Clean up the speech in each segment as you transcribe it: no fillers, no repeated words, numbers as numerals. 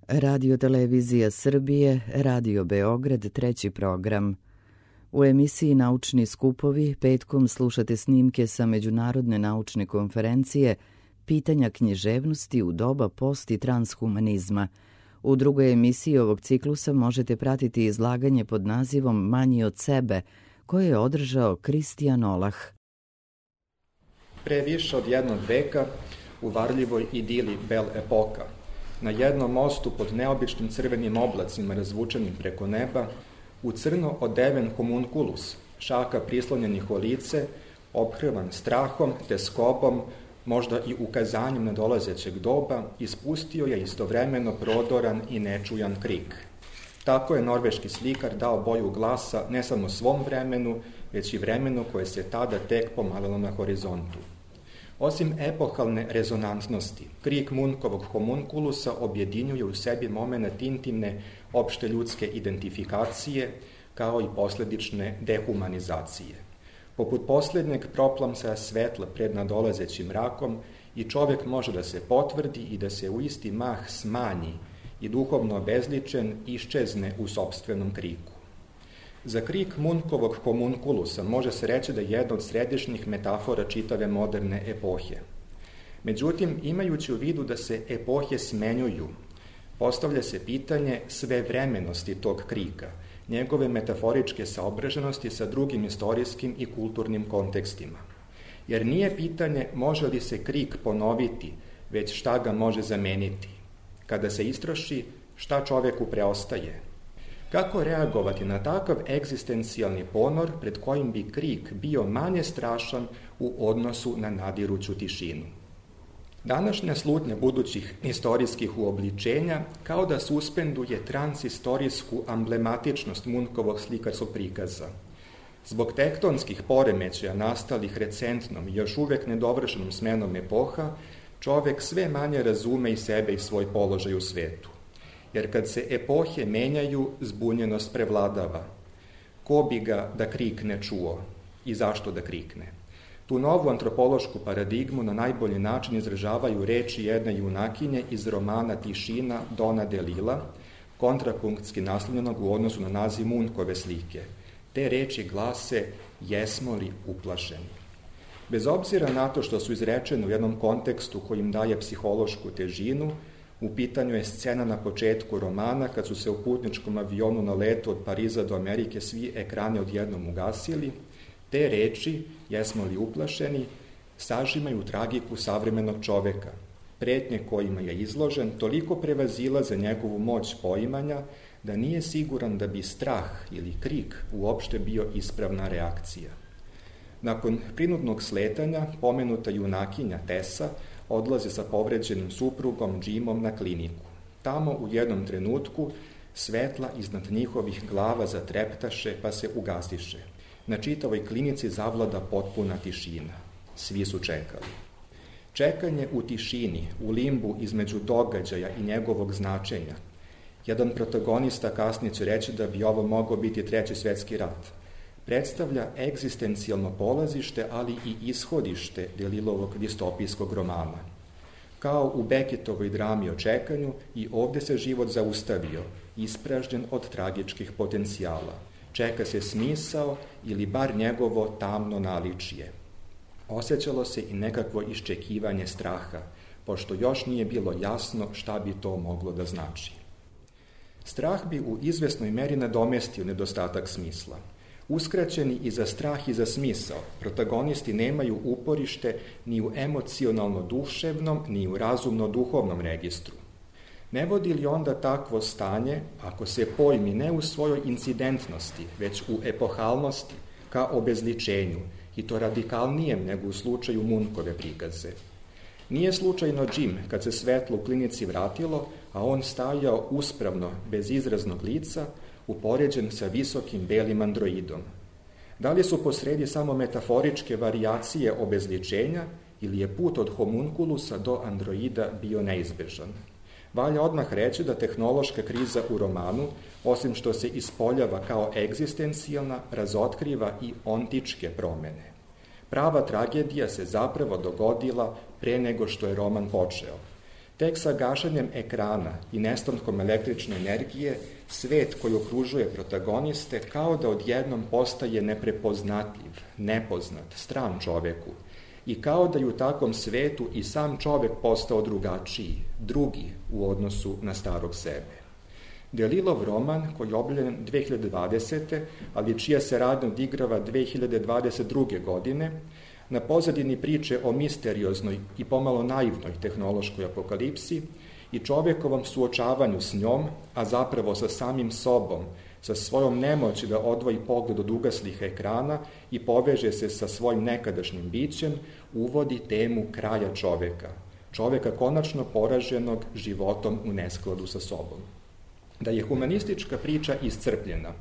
Radio Televizija Srbije, Radio Beograd, treći program. U emisiji Naučni skupovi petkom slušate snimke sa Međunarodne naučne konferencije Pitanja književnosti u doba post i transhumanizma. U drugoj emisiji ovog ciklusa možete pratiti izlaganje pod nazivom Manji od sebe, koje je održao Kristijan Olah. Pre više od jednog veka u varljivoj idili Bel Epoka, na jednom mostu pod neobičnim crvenim oblacima razvučenim preko neba, u crno odeven homunculus, šaka prislonjenih o lice, ophrvan strahom, teskobom, možda i ukazanjem nadolazećeg doba, ispustio je istovremeno prodoran i nečujan krik. Tako je norveški slikar dao boju glasa ne samo svom vremenu, već i vremenu koje se tada tek pomalilo na horizontu. Osim epohalne rezonantnosti, krik Munkovog homunculusa objedinjuje u sebi momenat intimne opšte ljudske identifikacije, kao i posledične dehumanizacije. Poput posljednjeg proplamsaja svetla pred nadolazećim mrakom, i čovjek može da se potvrdi i da se u isti mah smanji i duhovno obezličen iščezne u sopstvenom kriku. Za krik Munkovog homunculusa može se reći da je jedna od središnjih metafora čitave moderne epohe. Međutim, imajući u vidu da se epohe smenjuju, postavlja se pitanje svevremenosti tog krika, njegove metaforičke saobraženosti sa drugim istorijskim i kulturnim kontekstima. Jer nije pitanje može li se krik ponoviti, već šta ga može zameniti. Kada se istroši, šta čoveku preostaje? Kako reagovati na takav egzistencijalni ponor pred kojim bi krik bio manje strašan u odnosu na nadiruću tišinu? Današnja slutnja budućih istorijskih uobličenja kao da suspenduje transistorijsku amblematičnost Munkovog slikarskog prikaza. Zbog tektonskih poremećaja nastalih recentnom i još uvek nedovršenom smenom epoha, čovek sve manje razume i sebe i svoj položaj u svetu. Jer kad se epohe menjaju, zbunjenost prevladava. Ko bi ga da krikne čuo i zašto da krikne? Tu novu antropološku paradigmu na najbolji način izražavaju reči jedne junakinje iz romana Tišina Dona Delila, kontrapunktski naslovljenog u odnosu na naziv Munkove slike. Te reči glase: jesmo li uplašeni? Bez obzira na to što su izrečene u jednom kontekstu koji im daje psihološku težinu, u pitanju je scena na početku romana kad su se u putničkom avionu na letu od Pariza do Amerike svi ekrani odjednom ugasili. Te reči, jesmo li uplašeni, sažimaju tragiku savremenog čoveka. Pretnje kojima je izložen toliko prevazilaze njegovu moć poimanja da nije siguran da bi strah ili krik uopšte bio ispravna reakcija. Nakon prinudnog sletanja, pomenuta junakinja Tessa odlaze sa povređenim suprugom Jimom na kliniku. Tamo u jednom trenutku svetla iznad njihovih glava zatreptaše pa se ugasiše. Na čitavoj klinici zavlada potpuna tišina. Svi su čekali. Čekanje u tišini, u limbu između događaja i njegovog značenja. Jedan protagonista kasnije će reći da bi ovo mogao biti Treći svjetski rat. Predstavlja egzistencijalno polazište, ali i ishodište Delilovog distopijskog romana. Kao u Beckettovoj drami o čekanju, i ovde se život zaustavio, ispražnjen od tragičkih potencijala. Čeka se smisao ili bar njegovo tamno naličje. Osjećalo se i nekakvo iščekivanje straha, pošto još nije bilo jasno šta bi to moglo da znači. Strah bi u izvesnoj meri nadomestio nedostatak smisla. Uskraćeni i za strah i za smisao, protagonisti nemaju uporište ni u emocionalno-duševnom, ni u razumno-duhovnom registru. Ne vodi li onda takvo stanje, ako se pojmi ne u svojoj incidentnosti, već u epohalnosti, ka obezličenju, i to radikalnijem nego u slučaju Munkove prikaze? Nije slučajno Jim, kad se svetlo u klinici vratilo, a on stajao uspravno, bez izraznog lica, upoređen sa visokim belim androidom. Da li su posredi samo metaforičke varijacije obezličenja ili je put od homunculusa do androida bio neizbežan? Valja odmah reći da tehnološka kriza u romanu, osim što se ispoljava kao egzistencijalna, razotkriva i ontičke promene. Prava tragedija se zapravo dogodila pre nego što je roman počeo. Tek sa gašenjem ekrana i nestankom električne energije, svet koji okružuje protagoniste kao da odjednom postaje neprepoznatljiv, nepoznat, stran čoveku i kao da je u takvom svetu i sam čovek postao drugačiji, drugi u odnosu na starog sebe. Delilov roman, koji je objavljen 2020. ali čija se radnja odigrava 2022. godine, na pozadini priče o misterioznoj i pomalo naivnoj tehnološkoj apokalipsi i čovekovom suočavanju s njom, a zapravo sa samim sobom, sa svojom nemoći da odvoji pogled od ugaslih ekrana i poveže se sa svojim nekadašnjim bićem, uvodi temu kraja čoveka. Čoveka konačno poraženog životom u neskladu sa sobom. Da je humanistička priča iscrpljena,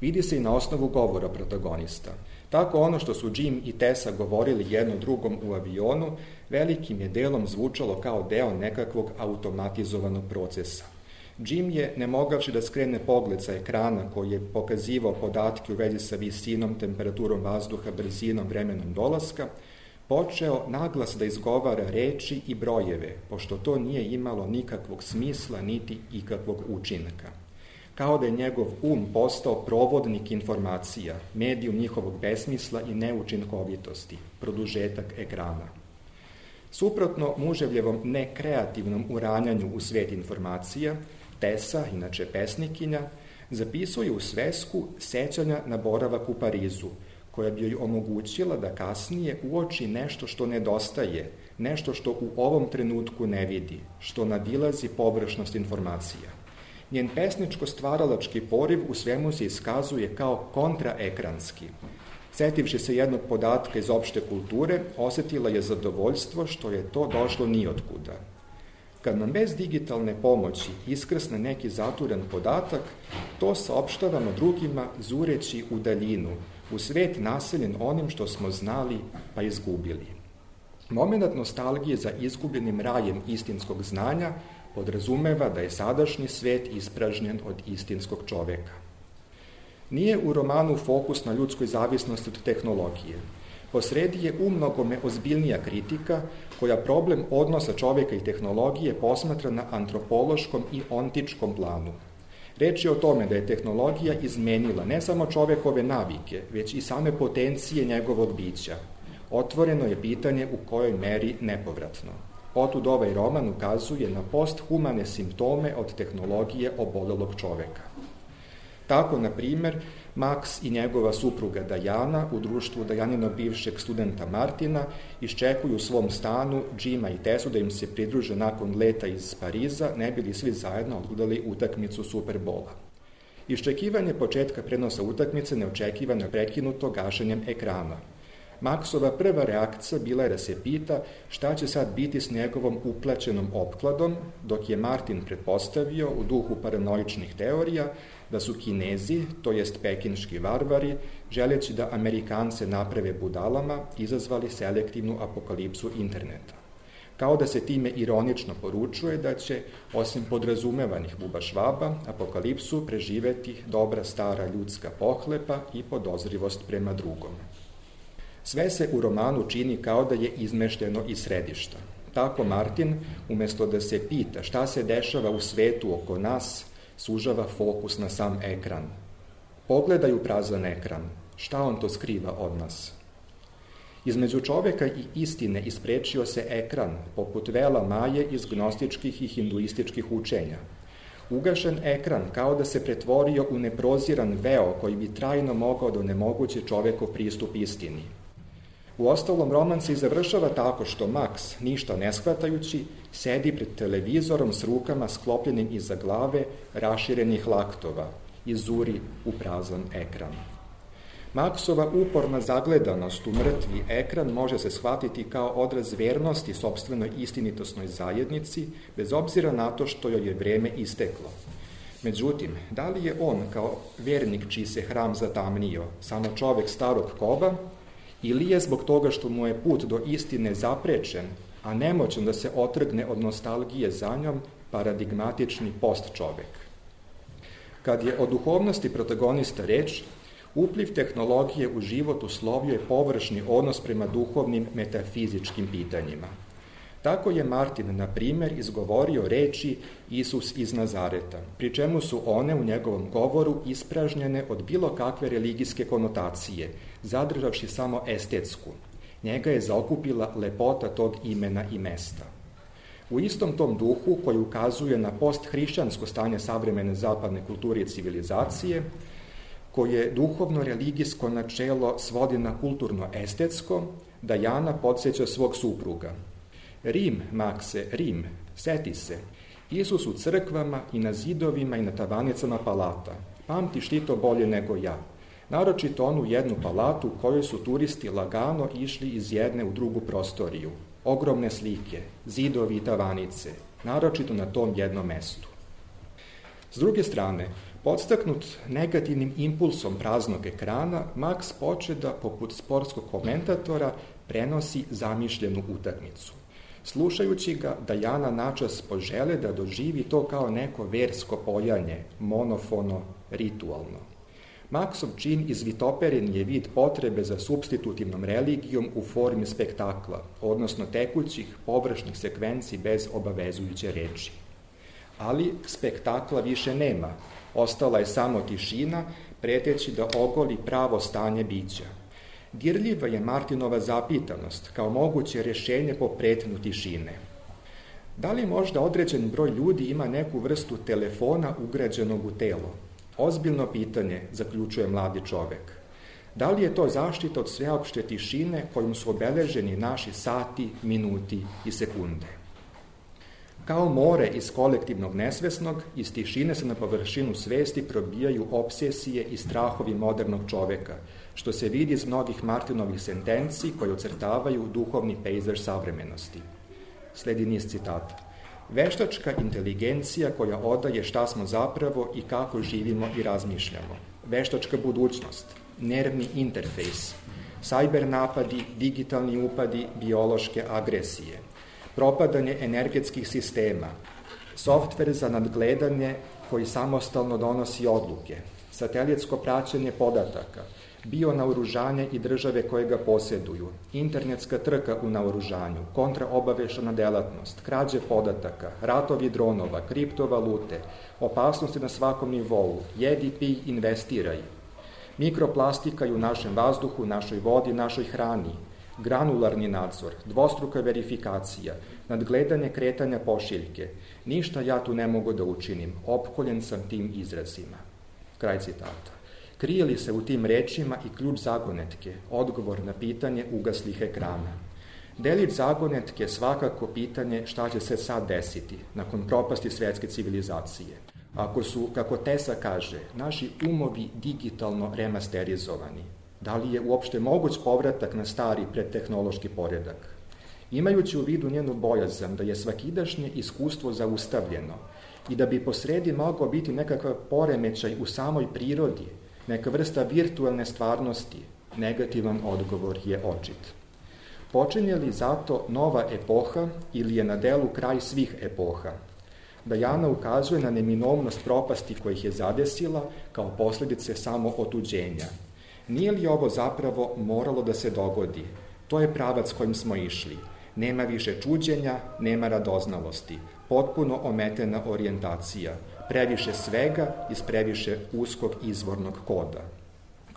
vidi se i na osnovu govora protagonista. Tako ono što su Jim i Tessa govorili jedno drugom u avionu, velikim je delom zvučalo kao deo nekakvog automatizovanog procesa. Jim je, ne mogavši da skrene pogled sa ekrana koji je pokazivao podatke u vezi sa visinom, temperaturom vazduha, brzinom, vremenom dolaska, počeo naglas da izgovara reči i brojeve, pošto to nije imalo nikakvog smisla niti ikakvog učinka. Kao da je njegov postao provodnik informacija, medijum njihovog besmisla i neučinkovitosti, produžetak ekrana. Suprotno muževljevom nekreativnom uranjanju u svet informacija, Tessa, inače pesnikinja, zapisuje u svesku sećanja na boravak u Parizu, koja bi joj omogućila da kasnije uoči nešto što nedostaje, nešto što u ovom trenutku ne vidi, što nadilazi površnost informacija. Njen pesničko-stvaralački poriv u svemu se iskazuje kao kontraekranski. Setivši se jednog podatka iz opšte kulture, osetila je zadovoljstvo što je to došlo nijotkuda. Kad nam bez digitalne pomoći iskrsne neki zaturen podatak, to saopštavamo drugima zureći u daljinu, u svet naseljen onim što smo znali pa izgubili. Momenat nostalgije za izgubljenim rajem istinskog znanja podrazumeva da je sadašnji svet ispražnjen od istinskog čoveka. Nije u romanu fokus na ljudskoj zavisnosti od tehnologije. Posredi je umnogome ozbiljnija kritika koja problem odnosa čoveka i tehnologije posmatra na antropološkom i ontičkom planu. Reč je o tome da je tehnologija izmenila ne samo čovekove navike, već i same potencije njegovog bića. Otvoreno je pitanje u kojoj meri nepovratno. Otud ovaj roman ukazuje na posthumane simptome od tehnologije obolelog čoveka. Tako, na primer, Max i njegova supruga Dajana u društvu Dajaninog bivšeg studenta Martina iščekuju u svom stanu Jima i Tessu da im se pridruže nakon leta iz Pariza, ne bili svi zajedno odgledali utakmicu Superbola. Iščekivanje početka prenosa utakmice neočekivano je prekinuto gašenjem ekrana. Maxova prva reakcija bila je da se pita šta će sad biti s njegovom uplaćenom opkladom, dok je Martin pretpostavio u duhu paranoičnih teorija da su Kinezi, to jest pekinški varvari, želeći da Amerikance naprave budalama, izazvali selektivnu apokalipsu interneta. Kao da se time ironično poručuje da će, osim podrazumevanih bubašvaba, apokalipsu preživeti dobra stara ljudska pohlepa i podozrivost prema drugom. Sve se u romanu čini kao da je izmešteno iz središta. Tako Martin, umesto da se pita šta se dešava u svetu oko nas, sužava fokus na sam ekran. Pogledaj u prazan ekran, šta on to skriva od nas? Između čoveka i istine isprečio se ekran, poput vela Maje iz gnostičkih i hinduističkih učenja. Ugašen ekran kao da se pretvorio u neproziran veo koji bi trajno mogao da onemogući čovekov pristup istini. Uostalom, roman se i završava tako što Max, ništa ne shvatajući, sedi pred televizorom s rukama sklopljenim iza glave, raširenih laktova i zuri u prazan ekran. Maxova uporna zagledanost u mrtvi ekran može se shvatiti kao odraz vernosti sopstvenoj istinitosnoj zajednici, bez obzira na to što joj je vreme isteklo. Međutim, da li je on, kao vernik čiji se hram zatamnio, samo čovek starog kova, ili je zbog toga što mu je put do istine zaprečen, a nemoćan da se otrgne od nostalgije za njom, paradigmatični postčovek? Kad je o duhovnosti protagonista reč, upliv tehnologije u život uslovio je površni odnos prema duhovnim metafizičkim pitanjima. Tako je Martin, na primjer, izgovorio reči Isus iz Nazareta, pri čemu su one u njegovom govoru ispražnjene od bilo kakve religijske konotacije, zadržavši samo estetsku. Njega je zaokupila lepota tog imena i mesta. U istom tom duhu, koji ukazuje na posthrišćansko stanje savremene zapadne kulture i civilizacije, koje duhovno-religijsko načelo svodi na kulturno-estetsko, Dajana podsjeća svog supruga. Rim, Makse, Rim, seti se, Isus u crkvama i na zidovima i na tavanicama palata. Pamtiš ti to bolje nego ja. Naročito onu jednu palatu u kojoj su turisti lagano išli iz jedne u drugu prostoriju. Ogromne slike, zidovi i tavanice, naročito na tom jednom mestu. S druge strane, podstaknut negativnim impulsom praznog ekrana, Max poče da, poput sportskog komentatora, prenosi zamišljenu utakmicu. Slušajući ga, Dajana načas požele da doživi to kao neko versko pojanje, monofono, ritualno. Maksov čin izvitoperen je vid potrebe za supstitutivnom religijom u formi spektakla, odnosno tekućih, površnih sekvenci bez obavezujuće reči. Ali spektakla više nema, ostala je samo tišina, preteći da ogoli pravo stanje bića. Dirljiva je Martinova zapitanost kao moguće rješenje po pretnju tišine. Da li možda određen broj ljudi ima neku vrstu telefona ugrađenog u telo? Ozbiljno pitanje, zaključuje mladi čovek. Da li je to zaštita od sveopšte tišine kojom su obeleženi naši sati, minuti i sekunde? Kao more iz kolektivnog nesvesnog, iz tišine se na površinu svesti probijaju obsesije i strahovi modernog čoveka, što se vidi iz mnogih Martinovih sentenci koje ocrtavaju duhovni pejzaž savremenosti. Sledi niz citata. Veštačka inteligencija koja odaje šta smo zapravo i kako živimo i razmišljamo. Veštačka budućnost, nervni interfejs, sajber napadi, digitalni upadi, biološke agresije, propadanje energetskih sistema, softver za nadgledanje koji samostalno donosi odluke, satelitsko praćenje podataka, bionaoružanje i države koje ga posjeduju, internetska trka u naoružanju, kontraobavešana delatnost, krađe podataka, ratovi dronova, kriptovalute, opasnosti na svakom nivou, jedi, pij, investiraj, mikroplastika u našem vazduhu, našoj vodi, našoj hrani, granularni nadzor, dvostruka verifikacija, nadgledanje kretanja pošiljke. Ništa ja tu ne mogu da učinim, opkoljen sam tim izrazima. Kraj citata. Krije li se u tim rečima i ključ zagonetke, odgovor na pitanje ugaslih ekrana? Delić zagonetke svakako pitanje šta će se sad desiti nakon propasti svetske civilizacije. Ako su, kako Tesa kaže, naši umovi digitalno remasterizovani, da li je uopšte moguć povratak na stari predtehnološki poredak? Imajući u vidu njenu bojazan da je svakidašnje iskustvo zaustavljeno i da bi posredi mogao biti nekakav poremećaj u samoj prirodi, neka vrsta virtualne stvarnosti, negativan odgovor je očit. Počinje li zato nova epoha ili je na delu kraj svih epoha? Dajana ukazuje na neminovnost propasti kojih je zadesila kao posljedice samo otuđenja. Nije li ovo zapravo moralo da se dogodi? To je pravac kojim smo išli. Nema više čuđenja, nema radoznalosti, potpuno ometena orijentacija, previše svega iz previše uskog izvornog koda.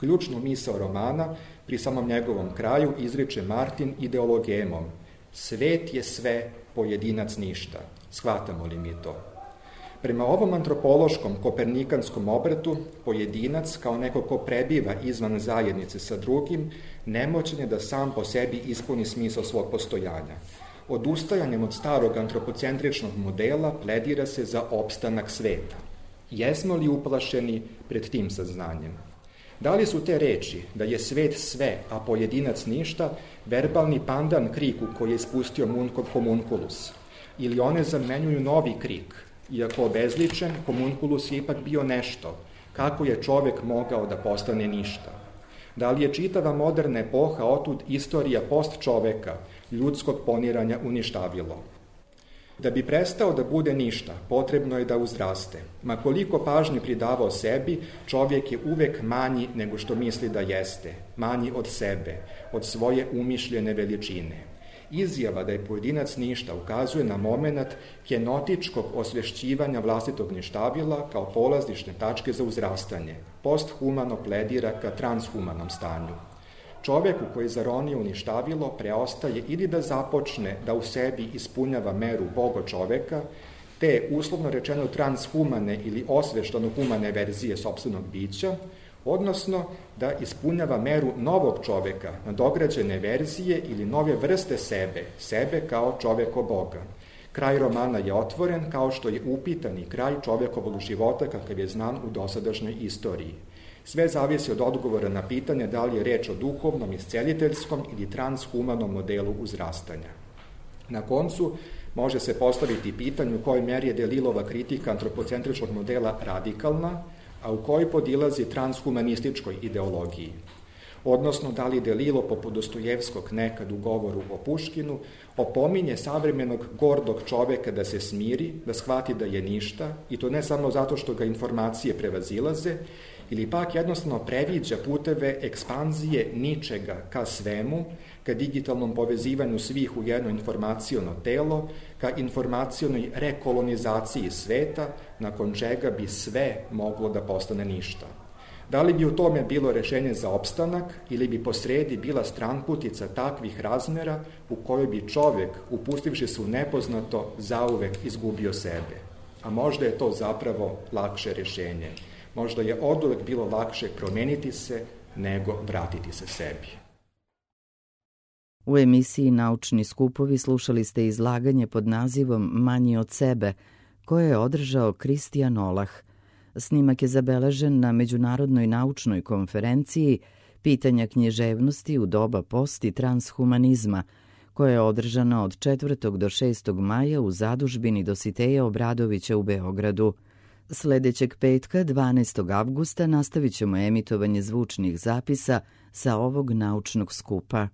Ključnu misao romana pri samom njegovom kraju izriče Martin ideologemom. Svet je sve, pojedinac ništa. Shvatamo li mi to? Prema ovom antropološkom kopernikanskom obratu, pojedinac kao neko ko prebiva izvan zajednice sa drugim, nemoćan je da sam po sebi ispuni smisao svog postojanja. Odustajanjem od starog antropocentričnog modela pledira se za opstanak sveta. Jesmo li uplašeni pred tim saznanjem? Da li su te reči da je svet sve, a pojedinac ništa, verbalni pandan kriku koji je ispustio Munkov homunculus? Ili one zamenjuju novi krik? Iako obezličen, homunculus je ipak bio nešto. Kako je čovek mogao da postane ništa? Da li je čitava moderna epoha otud istorija post čoveka, ljudskog poniranja uništavilo? Da bi prestao da bude ništa, potrebno je da uzraste. Ma koliko pažnje pridavao sebi, čovjek je uvek manji nego što misli da jeste, manji od sebe, od svoje umišljene veličine. Izjava da je pojedinac ništa ukazuje na moment kenotičkog osvešćivanja vlastitog ništavila kao polazišne tačke za uzrastanje. Posthumano pledira ka transhumanom stanju. Čoveku koji je zaronio u ništavilo preostaje ili da započne da u sebi ispunjava meru Boga čoveka, te uslovno rečeno transhumane ili osveštano humane verzije sopstvenog bića, odnosno da ispunjava meru novog čoveka, nadograđene verzije ili nove vrste sebe kao čoveko Boga. Kraj romana je otvoren kao što je upitan i kraj čovekovog života kakav je znan u dosadašnjoj istoriji. Sve zavisi od odgovora na pitanje da li je reč o duhovnom, isceliteljskom ili transhumanom modelu uzrastanja. Na koncu, može se postaviti pitanje u kojoj meri je Delilova kritika antropocentričnog modela radikalna, a u kojoj podilazi transhumanističkoj ideologiji. Odnosno, da li Delilo, poput Dostojevskog nekad u govoru o Puškinu, opominje savremenog gordog čoveka da se smiri, da shvati da je ništa, i to ne samo zato što ga informacije prevazilaze, ili pak jednostavno previđa puteve ekspanzije ničega ka svemu, ka digitalnom povezivanju svih u jedno informaciono telo, ka informacionoj rekolonizaciji sveta, nakon čega bi sve moglo da postane ništa. Da li bi u tome bilo rešenje za opstanak ili bi posredi bila stranputica takvih razmera u kojoj bi čovek, upustivši se u nepoznato, zauvek izgubio sebe? A možda je to zapravo lakše rešenje. Možda je oduvek bilo lakše promeniti se nego vratiti se sebi. U emisiji Naučni skupovi slušali ste izlaganje pod nazivom Manji od sebe, koje je održao Kristijan Olah. Snimak je zabeležen na Međunarodnoj naučnoj konferenciji Pitanja književnosti u doba post i transhumanizma, koja je održana od 4. do 6. maja u zadužbini Dositeja Obradovića u Beogradu. Sledećeg petka, 12. avgusta, nastavit ćemo emitovanje zvučnih zapisa sa ovog naučnog skupa.